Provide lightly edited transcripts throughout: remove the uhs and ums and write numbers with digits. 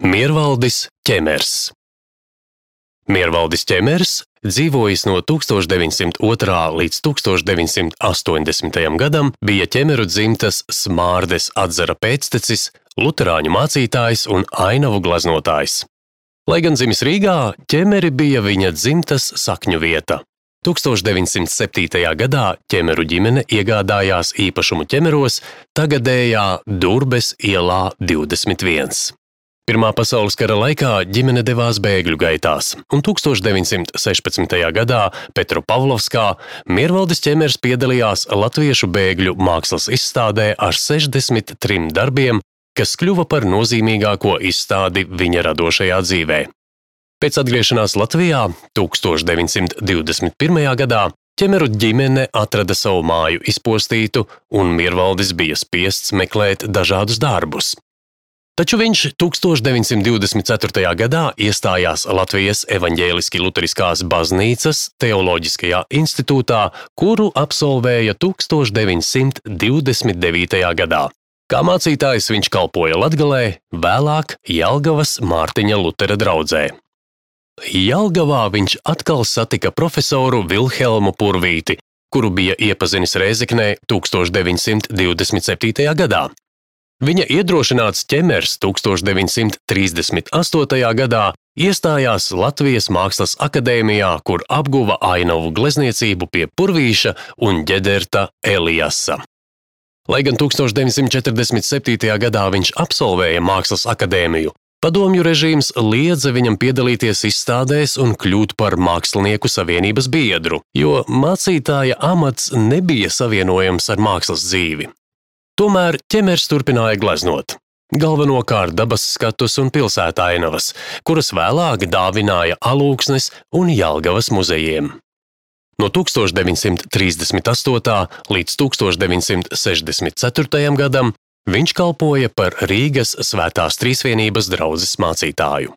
Miervaldis Ķemers. Miervaldis Ķemers dzīvojis no 1902. līdz 1980. gadam, bija ķemeru dzimtas Smārdes atzara pēctecis, luterāņu mācītājs un ainavu glaznotājs. Lai gan dzimis Rīgā, Ķemeri bija viņa dzimtas sakņu vieta. 1907. gadā ķemeru ģimene iegādājās īpašumu Ķemeros, tagadējā Durbes ielā 21. Pirmā pasaules kara laikā ģimene devās bēgļu gaitās, un 1916. gadā Petropavlovskā Miervaldis Ķemers piedalījās latviešu bēgļu mākslas izstādē ar 63 darbiem, kas kļuva par nozīmīgāko izstādi viņa radošajā dzīvē. Pēc atgriešanās Latvijā 1921. gadā ķemeru ģimene atrada savu māju izpostītu, un Miervaldis bija spiests meklēt dažādus darbus. Taču viņš 1924. gadā iestājās Latvijas evaņģēliski luteriskās baznīcas teoloģiskajā institūtā, kuru absolvēja 1929. gadā. Kā mācītājs viņš kalpoja Latgalē, vēlāk Jelgavas Mārtiņa Lutera draudzē. Jelgavā viņš atkal satika profesoru Vilhelmu Purvīti, kuru bija iepazinis Rēzeknē 1927. gadā. Viņa iedrošināts Ķemers 1938. gadā iestājās Latvijas Mākslas akadēmijā, kur apguva ainavu glezniecību pie Purvīša un ģederta Eliasa. Lai gan 1947. gadā viņš absolvēja Mākslas akadēmiju, padomju režīms liedza viņam piedalīties izstādēs un kļūt par mākslinieku savienības biedru, jo mācītāja amats nebija savienojams ar mākslas dzīvi. Tomēr Ķemers turpināja gleznot, galvenokārt dabas skatus un pilsētainavas, kuras vēlāk dāvināja Alūksnes un Jelgavas muzejiem. No 1938. līdz 1964. gadam viņš kalpoja par Rīgas Svētās Trīsvienības draudzes mācītāju.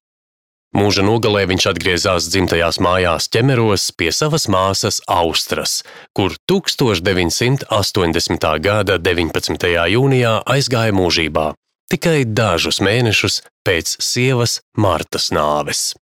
Mūža nogalē viņš atgriezās dzimtajās mājās Ķemeros pie savas māsas Austras, kur 1980. gada 19. jūnijā aizgāja mūžībā, tikai dažus mēnešus pēc sievas Martas nāves.